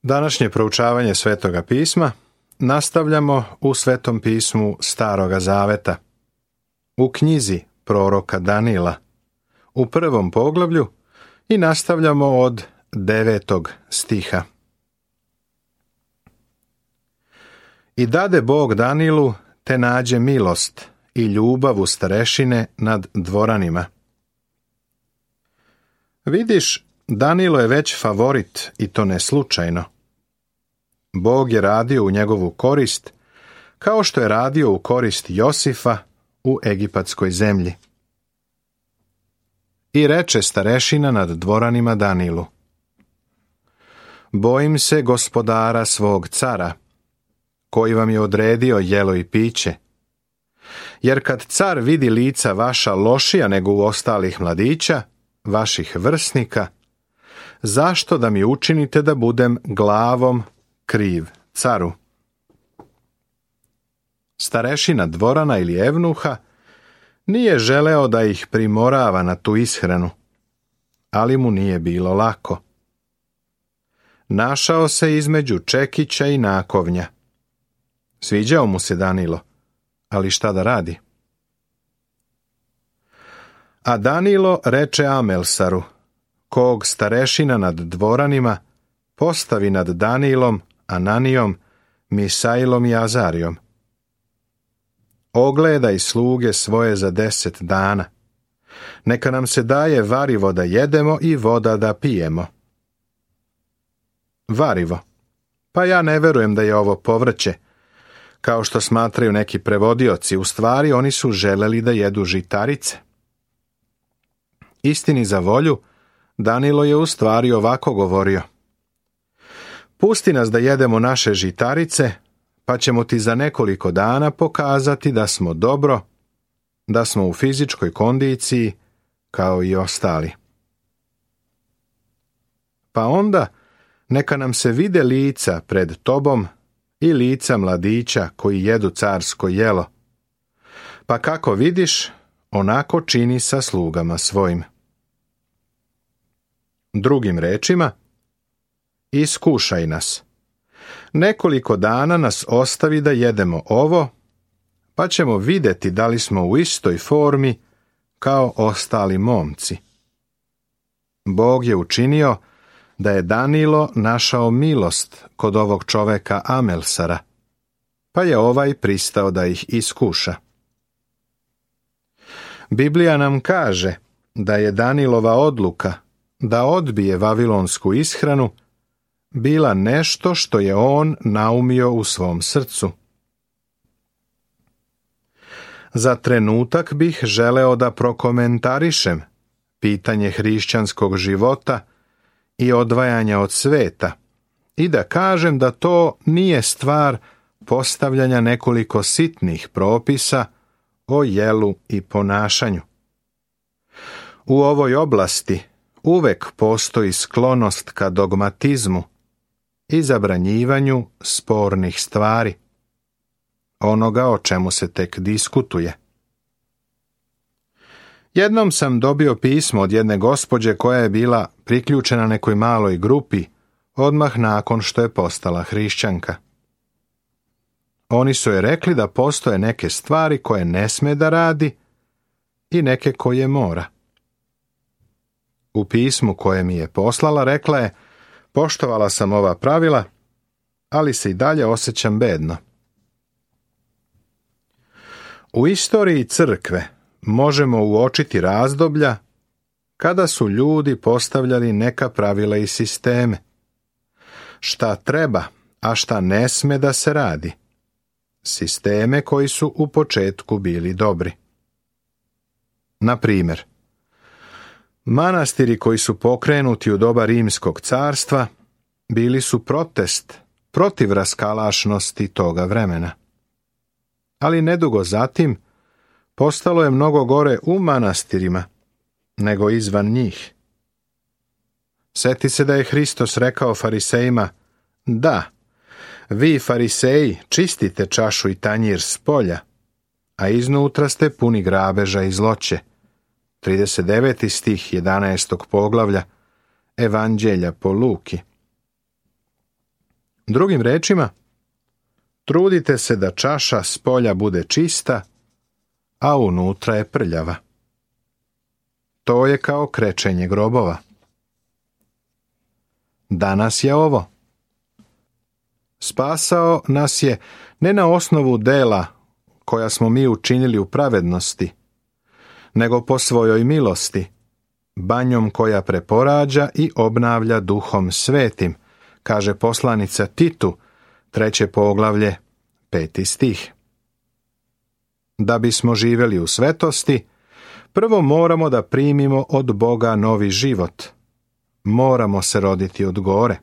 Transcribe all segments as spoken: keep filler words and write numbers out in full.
Današnje proučavanje Svetoga pisma nastavljamo u Svetom pismu Staroga Zaveta, u knjizi proroka Danila, u prvom poglavlju i nastavljamo od devetog stiha. I dade Bog Danilu te nađe milost i ljubav u starešine nad dvoranima. Vidiš, Danilo je već favorit i to ne slučajno. Bog je radio u njegovu korist, kao što je radio u korist Josifa u egipatskoj zemlji. I reče starešina nad dvoranima Danilu: Bojim se gospodara svog cara, koji vam je odredio jelo i piće. Jer kad car vidi lica vaša lošija nego u ostalih mladića, vaših vrsnika, zašto da mi učinite da budem glavom kriv caru? Starešina dvorana ili evnuha nije želeo da ih primorava na tu ishranu, ali mu nije bilo lako. Našao se između čekića i nakovnja. Sviđao mu se Danilo, ali šta da radi? A Danilo reče Amelsaru, kog starešina nad dvoranima postavi nad Danilom, Ananijom, Misailom i Azarijom: Ogledaj sluge svoje za deset dana. Neka nam se daje varivo da jedemo i voda da pijemo. Varivo. Pa ja ne verujem da je ovo povrće, kao što smatraju neki prevodioci. U stvari oni su želeli da jedu žitarice. Istini za volju, Danilo je u stvari ovako govorio: Pusti nas da jedemo naše žitarice, pa ćemo ti za nekoliko dana pokazati da smo dobro, da smo u fizičkoj kondiciji kao i ostali. Pa onda neka nam se vide lica pred tobom i lica mladića koji jedu carsko jelo. Pa kako vidiš, onako čini sa slugama svojim. Drugim rečima, iskušaj nas. Nekoliko dana nas ostavi da jedemo ovo, pa ćemo vidjeti da li smo u istoj formi kao ostali momci. Bog je učinio da je Danilo našao milost kod ovog čoveka Amelsara, pa je ovaj pristao da ih iskuša. Biblija nam kaže da je Danilova odluka da odbije vavilonsku ishranu bila nešto što je on naumio u svom srcu. Za trenutak bih želeo da prokomentarišem pitanje hrišćanskog života i odvajanja od sveta i da kažem da to nije stvar postavljanja nekoliko sitnih propisa o jelu i ponašanju. U ovoj oblasti uvek postoji sklonost ka dogmatizmu i zabranjivanju spornih stvari, onoga o čemu se tek diskutuje. Jednom sam dobio pismo od jedne gospođe koja je bila priključena nekoj maloj grupi odmah nakon što je postala hrišćanka. Oni su joj rekli da postoje neke stvari koje ne sme da radi i neke koje mora. U pismu koje mi je poslala rekla je: Poštovala sam ova pravila, ali se i dalje osjećam bedno. U istoriji crkve možemo uočiti razdoblja kada su ljudi postavljali neka pravila i sisteme. Šta treba, a šta ne sme da se radi. Sisteme koji su u početku bili dobri. Na primjer, manastiri koji su pokrenuti u doba Rimskog carstva bili su protest protiv raskalašnosti toga vremena. Ali nedugo zatim postalo je mnogo gore u manastirima nego izvan njih. Seti se da je Hristos rekao farisejima: Da, vi fariseji čistite čašu i tanjir s polja, a iznutra ste puni grabeža i zloće. trideset deveti stih jedanaestog poglavlja Evanđelja po Luki. Drugim rečima, trudite se da čaša s polja bude čista, a unutra je prljava. To je kao krečenje grobova. Danas je ovo. Spasao nas je ne na osnovu dela koja smo mi učinili u pravednosti, nego po svojoj milosti, banjom koja preporađa i obnavlja Duhom Svetim, kaže poslanica Titu, treće poglavlje, peti stih. Da bismo živjeli u svetosti, prvo moramo da primimo od Boga novi život. Moramo se roditi od gore.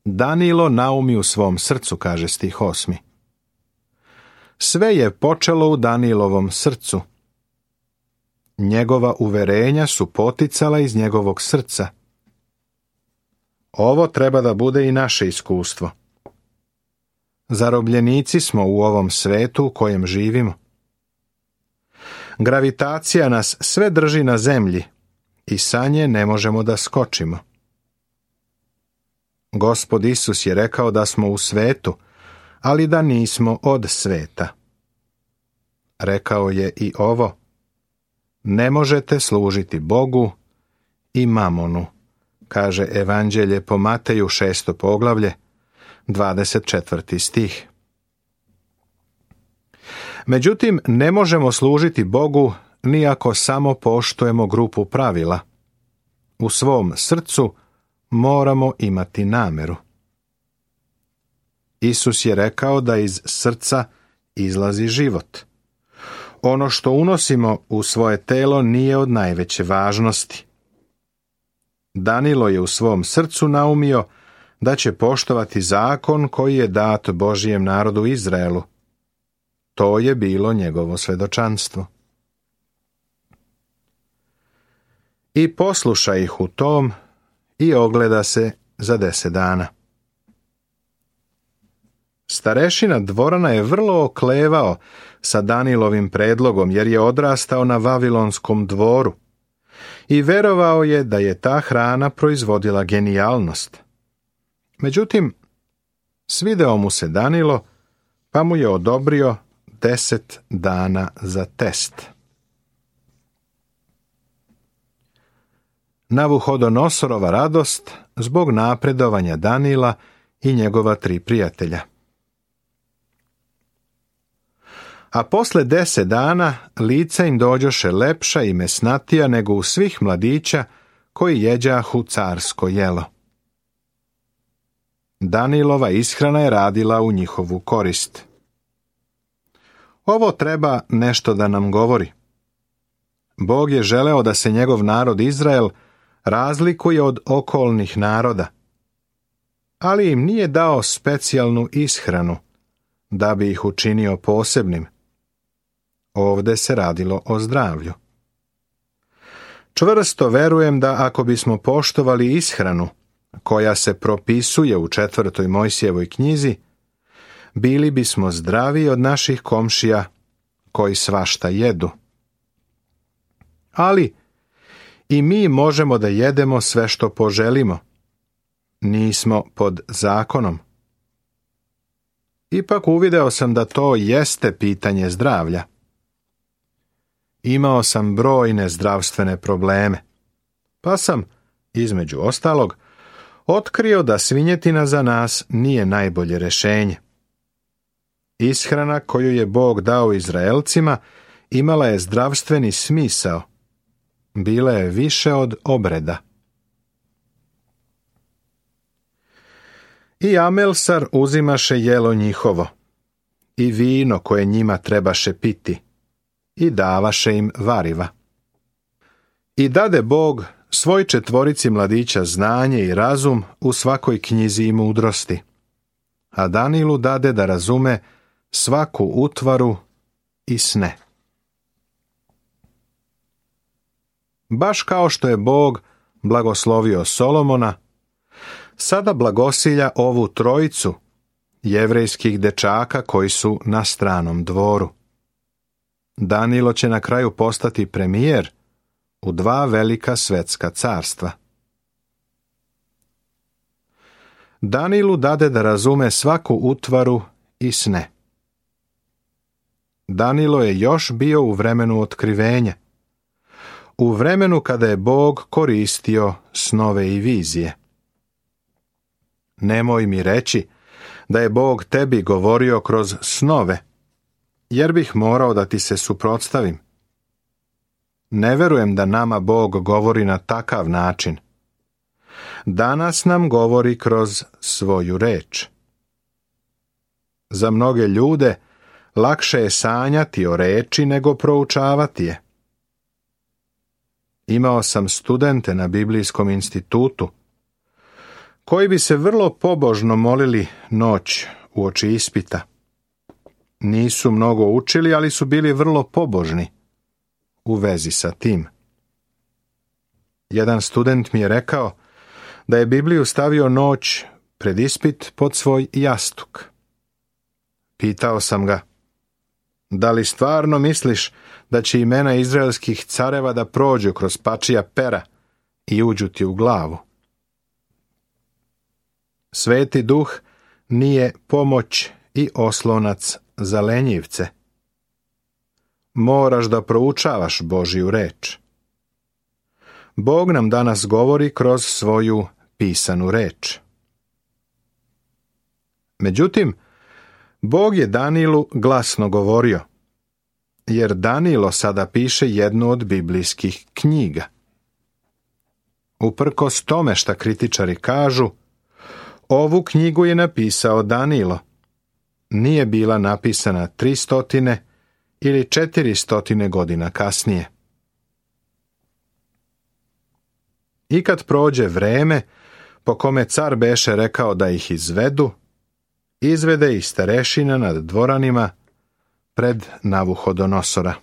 Danilo naumi u svom srcu, kaže stih osmi. Sve je počelo u Danilovom srcu. Njegova uverenja su poticala iz njegovog srca. Ovo treba da bude i naše iskustvo. Zarobljenici smo u ovom svetu u kojem živimo. Gravitacija nas sve drži na zemlji i sa nje ne možemo da skočimo. Gospod Isus je rekao da smo u svetu, ali da nismo od sveta. Rekao je i ovo: ne možete služiti Bogu i mamonu, kaže Evanđelje po Mateju šesto poglavlje, dvadeset četvrti stih. Međutim, ne možemo služiti Bogu ni ako samo poštujemo grupu pravila. U svom srcu moramo imati nameru. Isus je rekao da iz srca izlazi život. Ono što unosimo u svoje telo nije od najveće važnosti. Danilo je u svom srcu naumio da će poštovati zakon koji je dat Božijem narodu Izraelu. To je bilo njegovo svedočanstvo. I posluša ih u tom i ogleda se za deset dana. Starešina dvorana je vrlo oklevao sa Danilovim predlogom, jer je odrastao na Vavilonskom dvoru i verovao je da je ta hrana proizvodila genijalnost. Međutim, svideo mu se Danilo, pa mu je odobrio deset dana za test. Navuhodonosorova radost zbog napredovanja Danila i njegova tri prijatelja. A posle deset dana lica im dođoše lepša i mesnatija nego u svih mladića koji jeđahu carsko jelo. Danilova ishrana je radila u njihovu korist. Ovo treba nešto da nam govori. Bog je želeo da se njegov narod Izrael razlikuje od okolnih naroda, ali im nije dao specijalnu ishranu da bi ih učinio posebnim. Ovde se radilo o zdravlju. Čvrsto verujem da ako bismo poštovali ishranu koja se propisuje u četvrtoj Mojsijevoj knjizi, bili bismo zdravi od naših komšija koji svašta jedu. Ali i mi možemo da jedemo sve što poželimo. Nismo pod zakonom. Ipak uvideo sam da to jeste pitanje zdravlja. Imao sam brojne zdravstvene probleme, pa sam, između ostalog, otkrio da svinjetina za nas nije najbolje rešenje. Ishrana koju je Bog dao Izraelcima imala je zdravstveni smisao. Bila je više od obreda. I Amelsar uzimaše jelo njihovo, i vino koje njima trebaše piti, i davaše im variva. I dade Bog svoj četvorici mladića znanje i razum u svakoj knjizi i mudrosti, a Danilu dade da razume svaku utvaru i sne. Baš kao što je Bog blagoslovio Solomona, sada blagosilja ovu trojicu jevrejskih dečaka koji su na stranom dvoru. Danilo će na kraju postati premijer u dva velika svetska carstva. Danilu dade da razume svaku utvaru i sne. Danilo je još bio u vremenu otkrivenja, u vremenu kada je Bog koristio snove i vizije. Nemoj mi reći da je Bog tebi govorio kroz snove, jer bih morao da ti se suprotstavim. Ne verujem da nama Bog govori na takav način. Danas nam govori kroz svoju reč. Za mnoge ljude lakše je sanjati o reči nego proučavati je. Imao sam studente na Biblijskom institutu koji bi se vrlo pobožno molili noć uoči ispita. Nisu mnogo učili, ali su bili vrlo pobožni u vezi sa tim. Jedan student mi je rekao da je Bibliju stavio noć pred ispit pod svoj jastuk. Pitao sam ga, da li stvarno misliš da će imena izraelskih careva da prođu kroz pačija pera i uđu ti u glavu? Sveti duh nije pomoć i oslonac za lenjivce. Moraš da proučavaš Božju reč. Bog nam danas govori kroz svoju pisanu reč. Međutim, Bog je Danilu glasno govorio, jer Danilo sada piše jednu od biblijskih knjiga. Uprkos tome šta kritičari kažu, ovu knjigu je napisao Danilo. Nije bila napisana tristotine ili četiristotine godina kasnije. I kad prođe vreme po kome car beše rekao da ih izvedu, izvede ih starešina nad dvoranima pred Navuhodonosora.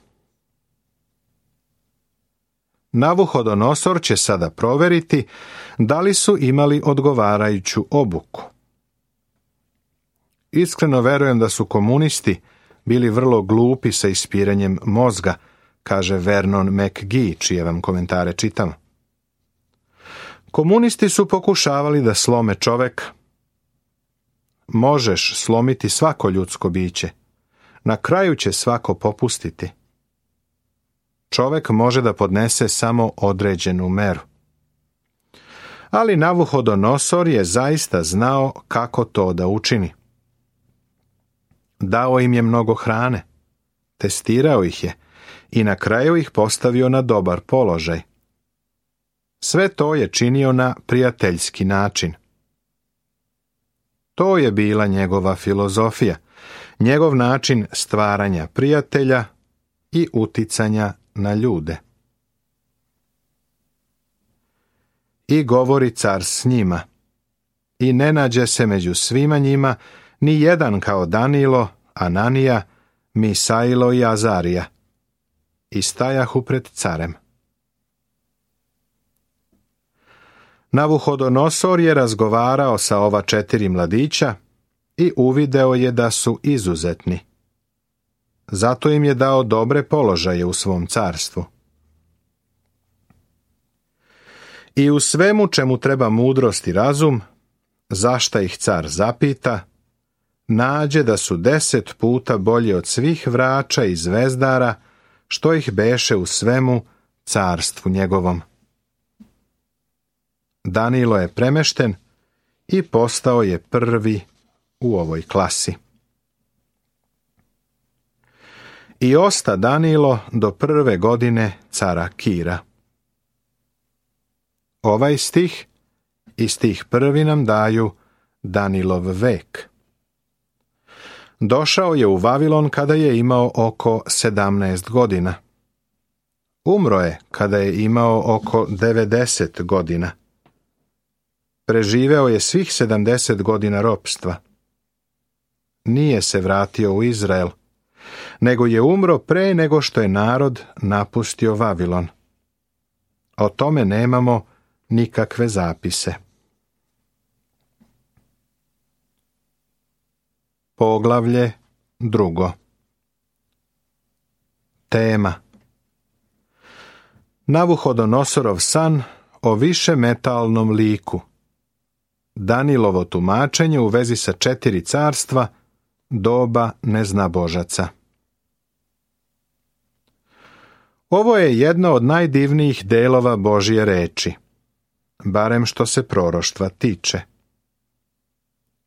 Navuhodonosor će sada proveriti da li su imali odgovarajuću obuku. Iskreno verujem da su komunisti bili vrlo glupi sa ispiranjem mozga, kaže Vernon McGee, čije vam komentare čitam. Komunisti su pokušavali da slome čoveka. Možeš slomiti svako ljudsko biće. Na kraju će svako popustiti. Čovek može da podnese samo određenu meru. Ali Navuhodonosor je zaista znao kako to da učini. Dao im je mnogo hrane, testirao ih je i na kraju ih postavio na dobar položaj. Sve to je činio na prijateljski način. To je bila njegova filozofija, njegov način stvaranja prijatelja i uticanja na ljude. I govori car s njima, i ne nađe se među svima njima ni jedan kao Danilo, Ananija, Misailo i Azarija, i stajahu pred carem. Navuhodonosor je razgovarao sa ova četiri mladića i uvideo je da su izuzetni. Zato im je dao dobre položaje u svom carstvu. I u svemu čemu treba mudrost i razum, zašta ih car zapita, nađe da su deset puta bolji od svih vrača i zvezdara, što ih beše u svemu carstvu njegovom. Danilo je premešten i postao je prvi u ovoj klasi. I osta Danilo do prve godine cara Kira. Ovaj stih i stih prvi nam daju Danilov vek. Došao je u Vavilon kada je imao oko sedamnaest godina. Umro je kada je imao oko devedeset godina. Preživeo je svih sedamdeset godina ropstva. Nije se vratio u Izrael, nego je umro pre nego što je narod napustio Vavilon. O tome nemamo nikakve zapise. Poglavlje drugo. Tema: Navuhodonosorov san o višemetalnom liku. Danilovo tumačenje u vezi sa četiri carstva doba neznabožaca. Ovo je jedno od najdivnijih delova Božje reči, barem što se proroštva tiče.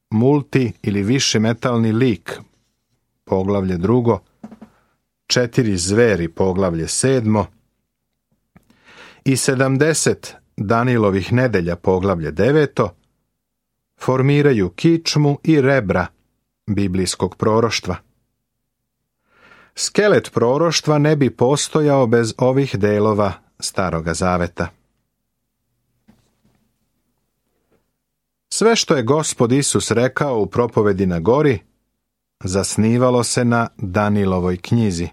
Multi ili višemetalni lik, poglavlje drugo, četiri zveri, poglavlje sedmo, i sedamdeset Danilovih nedelja, poglavlje deveto, formiraju kičmu i rebra biblijskog proroštva. Skelet proroštva ne bi postojao bez ovih delova Staroga zaveta. Sve što je Gospod Isus rekao u propovedi na gori zasnivalo se na Danilovoj knjizi.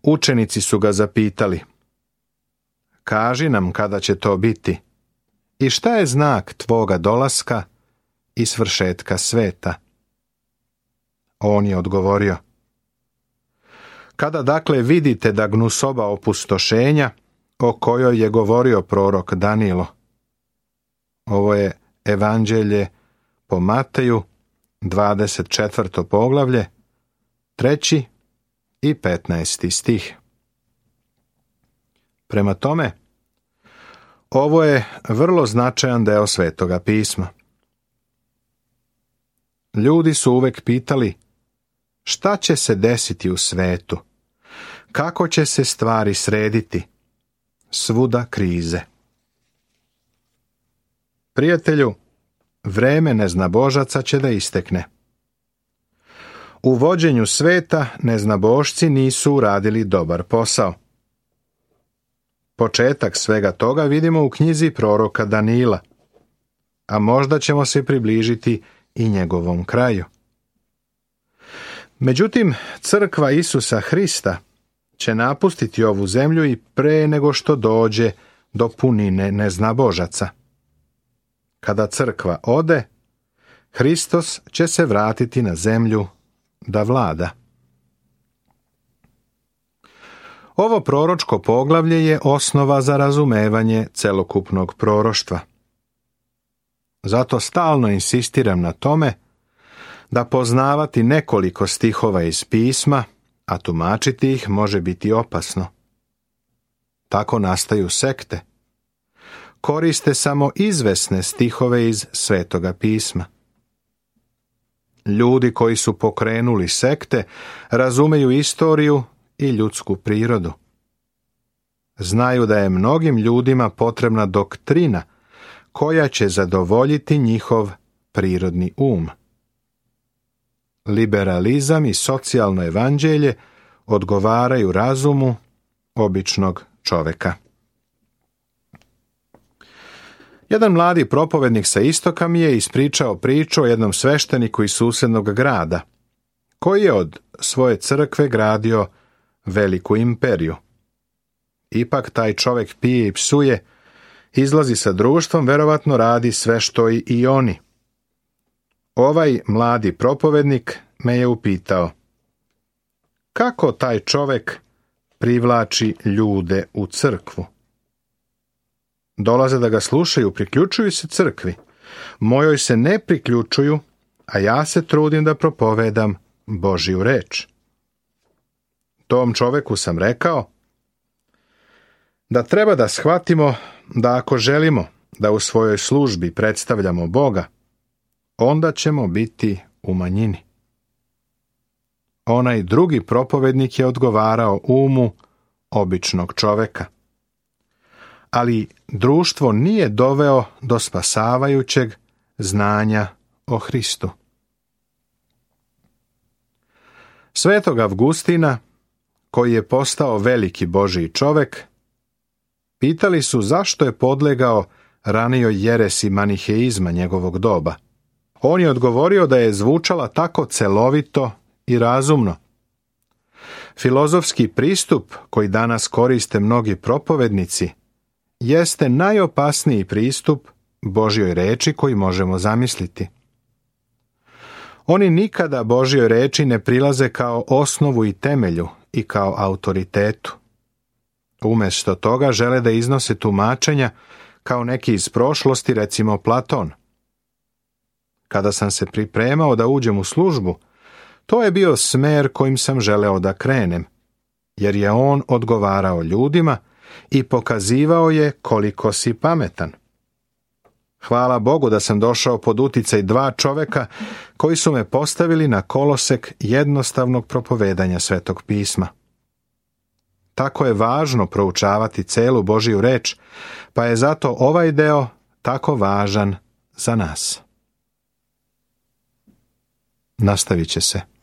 Učenici su ga zapitali: kaži nam kada će to biti i šta je znak tvoga dolaska i svršetka sveta. On je odgovorio: kada dakle vidite da gnusoba opustošenja o kojoj je govorio prorok Danilo. Ovo je Evanđelje po Mateju, dvadeset četvrto poglavlje, treći i petnaesti stih. Prema tome, ovo je vrlo značajan deo Svetoga pisma. Ljudi su uvek pitali: šta će se desiti u svetu? Kako će se stvari srediti? Svuda krize. Prijatelju, vreme neznabožaca će da istekne. U vođenju sveta neznabošci nisu uradili dobar posao. Početak svega toga vidimo u knjizi proroka Danila, a možda ćemo se približiti i njegovom kraju. Međutim, crkva Isusa Hrista će napustiti ovu zemlju i pre nego što dođe do punine neznabožaca. Kada crkva ode, Hristos će se vratiti na zemlju da vlada. Ovo proročko poglavlje je osnova za razumevanje celokupnog proroštva. Zato stalno insistiram na tome da poznavati nekoliko stihova iz pisma, a tumačiti ih može biti opasno. Tako nastaju sekte. Koriste samo izvesne stihove iz Svetoga pisma. Ljudi koji su pokrenuli sekte razumeju istoriju i ljudsku prirodu. Znaju da je mnogim ljudima potrebna doktrina koja će zadovoljiti njihov prirodni um. Liberalizam i socijalno evanđelje odgovaraju razumu običnog čoveka. Jedan mladi propovednik sa istoka mi je ispričao priču o jednom svešteniku iz susednog grada, koji je od svoje crkve gradio veliku imperiju. Ipak taj čovek pije i psuje, izlazi sa društvom, verovatno radi sve što i, i oni. Ovaj mladi propovednik me je upitao: kako taj čovek privlači ljude u crkvu? Dolaze da ga slušaju, priključuju se crkvi. Mojoj se ne priključuju, a ja se trudim da propovedam Božju reč. Tom čoveku sam rekao da treba da shvatimo da ako želimo da u svojoj službi predstavljamo Boga, onda ćemo biti u manjini. Onaj drugi propovednik je odgovarao umu običnog čoveka. Ali društvo nije doveo do spasavajućeg znanja o Hristu. Svetog Avgustina, koji je postao veliki Božji čovek, pitali su zašto je podlegao ranijoj jeresi maniheizma njegovog doba. On je odgovorio da je zvučala tako celovito i razumno. Filozofski pristup koji danas koriste mnogi propovednici jeste najopasniji pristup Božjoj reči koji možemo zamisliti. Oni nikada Božjoj reči ne prilaze kao osnovu i temelju i kao autoritetu. Umjesto toga žele da iznose tumačenja kao neki iz prošlosti, recimo Platon. Kada sam se pripremao da uđem u službu, to je bio smer kojim sam želeo da krenem, jer je on odgovarao ljudima i pokazivao je koliko si pametan. Hvala Bogu da sam došao pod uticaj dva čoveka koji su me postavili na kolosek jednostavnog propovedanja Svetog pisma. Tako je važno proučavati celu Božju reč, pa je zato ovaj deo tako važan za nas. Nastavit će se.